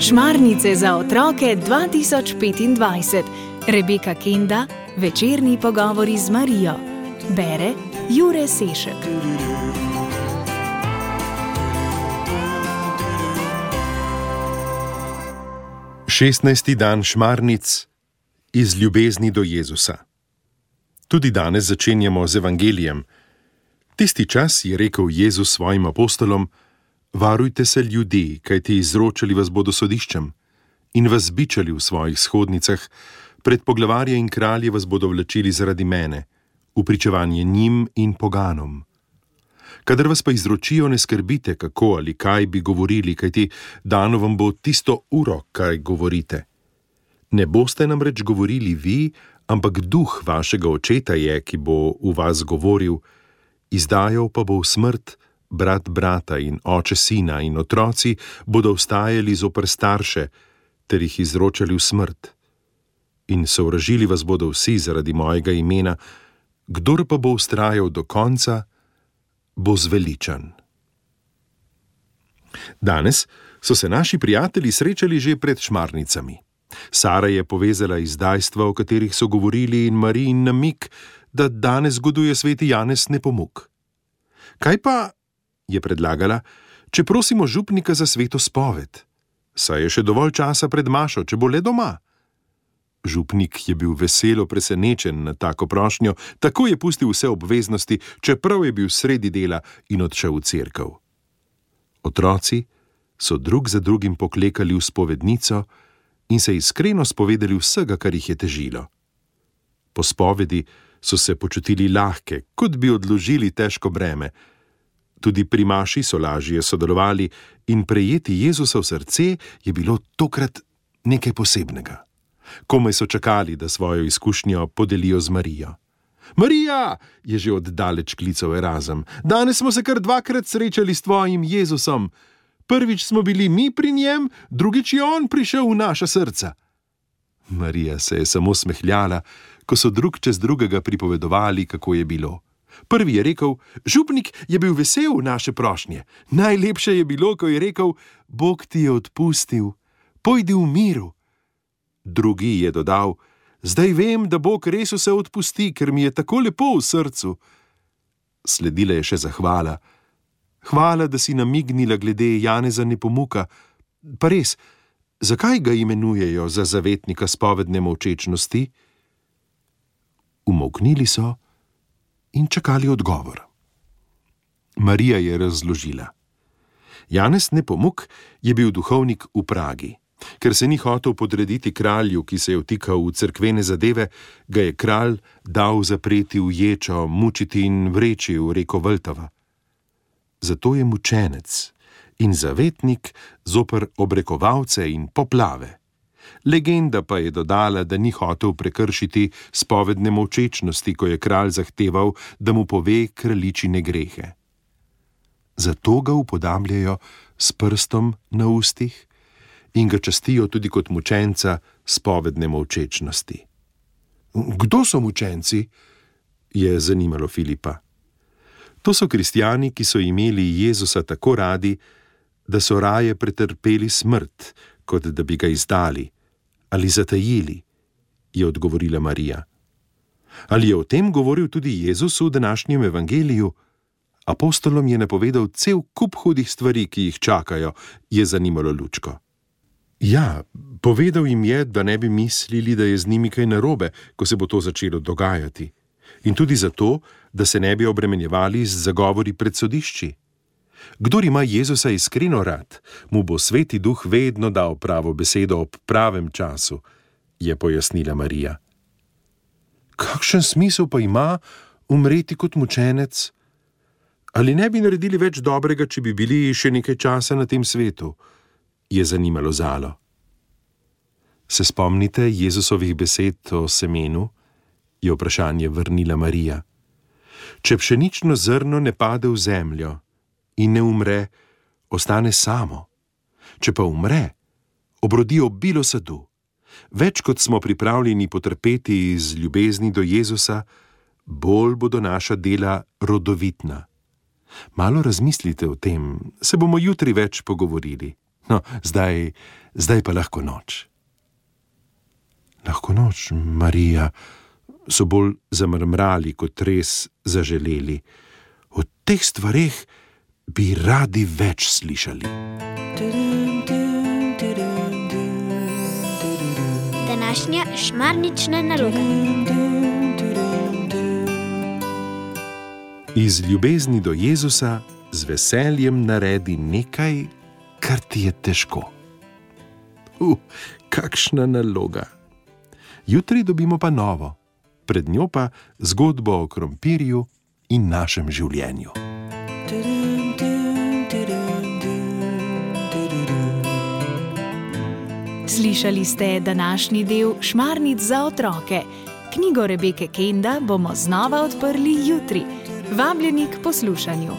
Šmarnice za otroke 2025. Rebeka Kenda, večerni pogovori z Marijo. Bere Jure Sešek. Šestnajsti dan šmarnic iz ljubezni do Jezusa. Tudi danes začenjamo z evangelijem. Tisti čas je rekel Jezus svojim apostolom: varujte se ljudi, kajti izročali vas bodo sodiščem in vas bičali v svojih shodnicah, pred poglavarje in kralje vas bodo vlačili zaradi mene, v pričevanje njim in poganom. Kadar vas pa izročijo, ne skrbite, kako ali kaj bi govorili, kajti dano vam bo tisto uro, kaj govorite. Ne boste namreč govorili vi, ampak duh vašega očeta je, ki bo v vas govoril, izdajal pa bo v smrt brat brata in oče sina, in otroci bodo vstajali zoper starše, ter jih izročali v smrt. In sovražili vas bodo vsi zaradi mojega imena, kdor pa bo vztrajal do konca, bo zveličan. Danes so se naši prijatelji srečali že pred šmarnicami. Sara je povezala izdajstva, o katerih so govorili, in Marijin namig, da danes zgoduje sveti Janez Nepomuk. Kaj pa, je predlagala, če prosimo župnika za sveto spoved? Saj je še dovolj časa pred mašo, če bo le doma. Župnik je bil veselo presenečen na tako prošnjo, tako je pustil vse obveznosti, čeprav je bil sredi dela, in odšel v cerkev. Otroci so drug za drugim poklekali v spovednico in se iskreno spovedali vsega, kar jih je težilo. Po spovedi so se počutili lahke, kot bi odložili težko breme. Tudi pri maši so lažje sodelovali in prejeti Jezusa v srce je bilo tokrat nekaj posebnega. Komaj so čakali, da svojo izkušnjo podelijo z Marijo. Marija, je že oddaleč klical Erazem, danes smo se kar dvakrat srečali s tvojim Jezusom. Prvič smo bili mi pri njem, drugič je on prišel v naša srca. Marija se je samo smehljala, ko so drug čez drugega pripovedovali, kako je bilo. Prvi je rekel: župnik je bil vesel v naše prošnje. Najlepše je bilo, ko je rekel: Bog ti je odpustil, pojdi v miru. Drugi je dodal: zdaj vem, da Bog res vse odpusti, ker mi je tako lepo v srcu. Sledila je še zahvala. Hvala, da si namignila glede Janeza Nepomuka. Pa res, zakaj ga imenujejo za zavetnika spovedne molčečnosti? Umolknili so in čakali odgovor. Marija je razložila. Janez Nepomuk je bil duhovnik v Pragi. Ker se ni hotel podrediti kralju, ki se je vtikal v cerkvene zadeve, ga je kralj dal zapreti v ječo, mučiti in vreči v reko Vltava. Zato je mučenec in zavetnik zoper obrekovalce in poplave. Legenda pa je dodala, da ni hotel prekršiti spovedne molčečnosti, ko je kralj zahteval, da mu pove kraljičine grehe. Zato ga upodabljajo s prstom na ustih in ga častijo tudi kot mučenca spovedne molčečnosti. Kdo so mučenci? Je zanimalo Filipa. To so kristjani, ki so imeli Jezusa tako radi, da so raje pretrpeli smrt, kot da bi ga izdali ali zatajili, je odgovorila Marija. Ali je o tem govoril tudi Jezus v današnjem evangeliju? Apostolom je napovedal cel kup hudih stvari, ki jih čakajo, je zanimalo Lučko. Ja, povedal jim je, da ne bi mislili, da je z njimi kaj narobe, ko se bo to začelo dogajati. In tudi zato, da se ne bi obremenjevali z zagovori pred sodišči. Kdor ima Jezusa iskreno rad, mu bo Sveti Duh vedno dal pravo besedo ob pravem času, je pojasnila Marija. Kakšen smisel pa ima umreti kot mučenec? Ali ne bi naredili več dobrega, če bi bili še nekaj časa na tem svetu? Je zanimalo Zalo. Se spomnite Jezusovih besed o semenu? Je vprašanje vrnila Marija. Če pšenično zrno ne pade v zemljo in ne umre, ostane samo. Če pa umre, obrodi obilo sadu. Več kot smo pripravljeni potrpeti iz ljubezni do Jezusa, bolj bodo naša dela rodovitna. Malo razmislite o tem, se bomo jutri več pogovorili. No, zdaj pa lahko noč. Lahko noč, Marija, so bolj zamrmrali, kot res zaželeli. O teh stvareh bi radi več slišali. Današnja šmarnična naloga. Iz ljubezni do Jezusa z veseljem naredi nekaj, kar ti je težko. Kakšna naloga! Jutri dobimo pa novo, pred njo pa zgodbo o krompirju in našem življenju. Slišali ste današnji del Šmarnic za otroke. Knjigo Rebeke Kenda bomo znova odprli jutri. Vabljeni k poslušanju.